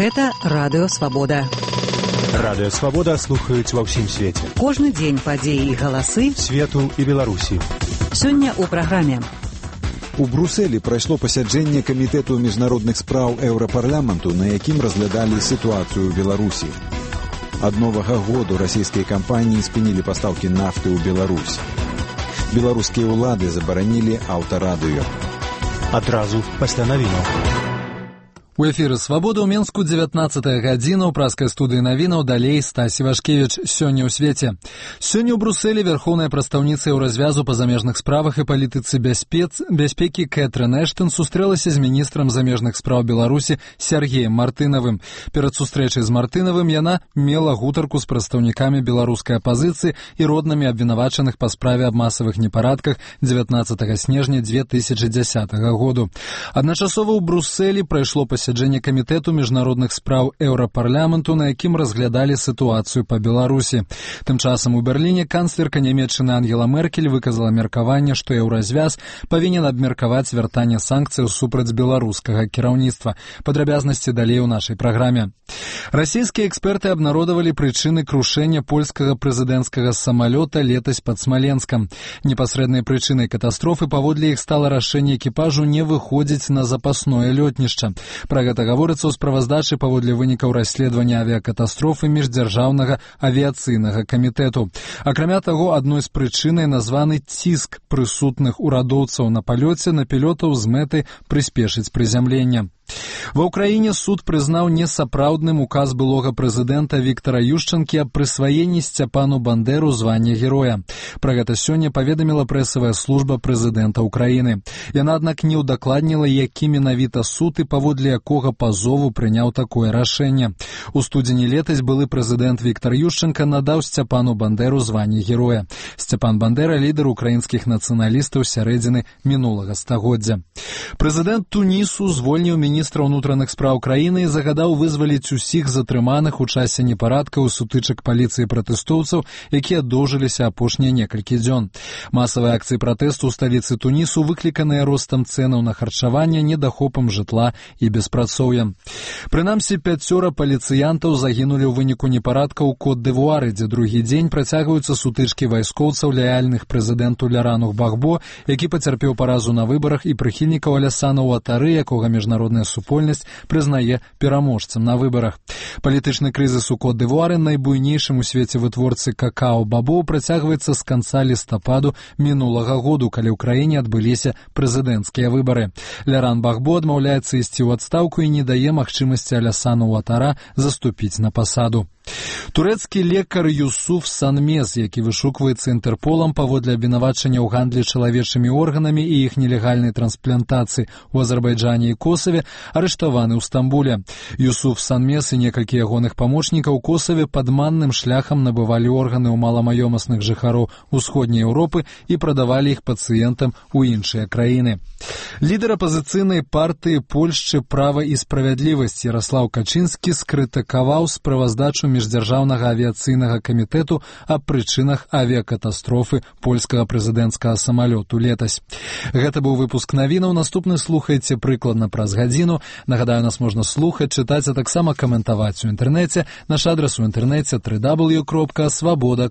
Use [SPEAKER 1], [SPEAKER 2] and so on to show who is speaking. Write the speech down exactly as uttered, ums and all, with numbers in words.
[SPEAKER 1] Гэта Радыё Свабода.
[SPEAKER 2] Радыё Свабода слухаюць ва ўсім свеце.
[SPEAKER 1] Кожны дзень падзеі і галасы
[SPEAKER 2] свету і Беларусі.
[SPEAKER 1] Сёння ў праграме.
[SPEAKER 3] У Брусэлі прайшло пасяджэнне камітэту міжнародных спраў Еўрапарламенту, на якім разглядалі сітуацыю ў Беларусі. Ад новага году расійскія кампаніі спынілі пастаўкі нафты ў Беларусь. Беларускія ўлады забаранілі аўтарадыё.
[SPEAKER 2] Адразу пасля навінаў.
[SPEAKER 4] У эфіры «Свабода» ў Менску дзевятнаццатая гадзіна, ў праскай студыі навінаў далей Стась Івашкевіч. Сёння ў свеце. Сёння ў Брусэлі вярхоўная прадстаўніца Еўразвязу па замежных справах і палітыцы бяспец... бяспекі Кэтрын Эштон сустрэлася з міністрам замежных спраў Беларусі Сергеем Мартынавым. Перад сустрэчай з Мартынавым яна мела гутарку з прадстаўнікамі беларускай апазіцыі і роднымі абвінавачаных па справе аб масавых непарадках дзевятнаццатага снежня дзве тысячы дзясятага году. Адначасова ў Брусэлі прайшло пасяджэнне Сяджэнне камітэту міжнародных спраў Еўрапарламенту, на якім разглядалі сітуацыю па Беларусі. Тым часам у Берліне канцлерка нямецчыны Ангела Меркель выказала меркаванне, што Еўразвяз павінен абмеркаваць вяртанне санкцыяў супраць беларускага кіраўніцтва. Падрабязнасці далей у нашай праграме. Расійскія эксперты абнародавалі прычыны крушэння польскага прэзідэнцкага самалёта летась пад Смаленскам. Непасрэднай прычынай катастрофы паводле іх стала рашэнне экіпажу не выходзіць на запасное лётнішча. Пра гэта гаворыцца ў справаздачы паводле вынікаў расследавання авіякатастрофы міждзяржаўнага авіяцыйнага камітэту. Акрамя таго, адной з прычынай названы ціск прысутных урадоўцаў на палёце на пілотаў з мэтай прыспешыць прызямлення. Ва ўкраіне суд прызнаў несапраўдным указ былога прэзідэнта Віктара Юшчанкі аб прысваенні Сцяпану Бандэру звання героя. Пра гэта сёння паведаміла прэсавая служба прэзідэнта ўкраіны. Яна, аднак, не ўдакладніла, які менавіта суд і паводле якога пазову прыняў такое рашэнне. У студзені летась былы прэзідэнт Віктар Юшчанка надаў Сцяпану Бандэру званне героя. Сцяпан Бандэра — лідар украінскіх нацыяналістаў сярэдзіны мінулага стагоддзя. Прэзідэнт Тунісу звольніў міністра ўнутраных спраў краіны і загадаў вызваліць усіх затрыманых у часе непарадкаў і сутычак паліцыі пратэстоўцаў, якія доўжыліся апошнія некалькі дзён. Масавыя акцыі пратэсту ў сталіцы Тунісу выкліканыя ростам цэнаў на харчаванне, недахопам жытла і беспрацоўем. Прынамсі, пяцёра паліцыянтаў загінулі ў выніку непарадка ў Кот-д'Івуары, дзе другі дзень працягваюцца сутычкі вайскоўцаў лаяльных прэзідэнту Лярану Бахбо, які пацярпеў паразу на выбарах, і прыхільнікаў Алясана Уатары, якога міжнародная супольнасць прызнае пераможцам на выбарах. Палітычны крызіс у Кот-д'Івуары, найбуйнейшым у свеце вытворцы какао-бабоў, працягваецца з канца лістападу мінулага году, калі ў краіне адбыліся прэзідэнцкія выбары. Ляран Бахбо адмаўляецца ісці ў адстаўку і не дае магчымасці Алясану Уатара заступіць на пасаду. Турэцкі лекар Юсуф Санмез, які вышукваецца Інтэрполам паводле абвінавачання ў гандлі чалавечымі органамі і іх нелегальнай трансплантацыі ў Азербайджане і Косаве, арыштаваны ў Стамбуле. Юсуф Санмез і некалькі ягоных памочнікаў у Косаве падманным шляхам набывалі органы ў маламаёмасных жыхароў усходняй Еўропы і прадавалі іх пацыентам у іншыя краіны. Лідар апазіцыйнай партыі Польшчы «Права і справядлівасць» Яраслаў Качынскі скрытыкаваў справаздачу міждзяржаўнага авіяцыйнага камітэту аб прычынах авіякатастрофы польскага прэзідэнцкага самалёту летась. Гэта быў выпуск навінаў. Наступны слухайце прыкладна праз гадзіну. Нагадаю, нас можна слухаць, чытаць, а таксама каментаваць у інтэрнэце. Наш адрас у інтэрнэце дабл ю дабл ю дабл ю кропка свабода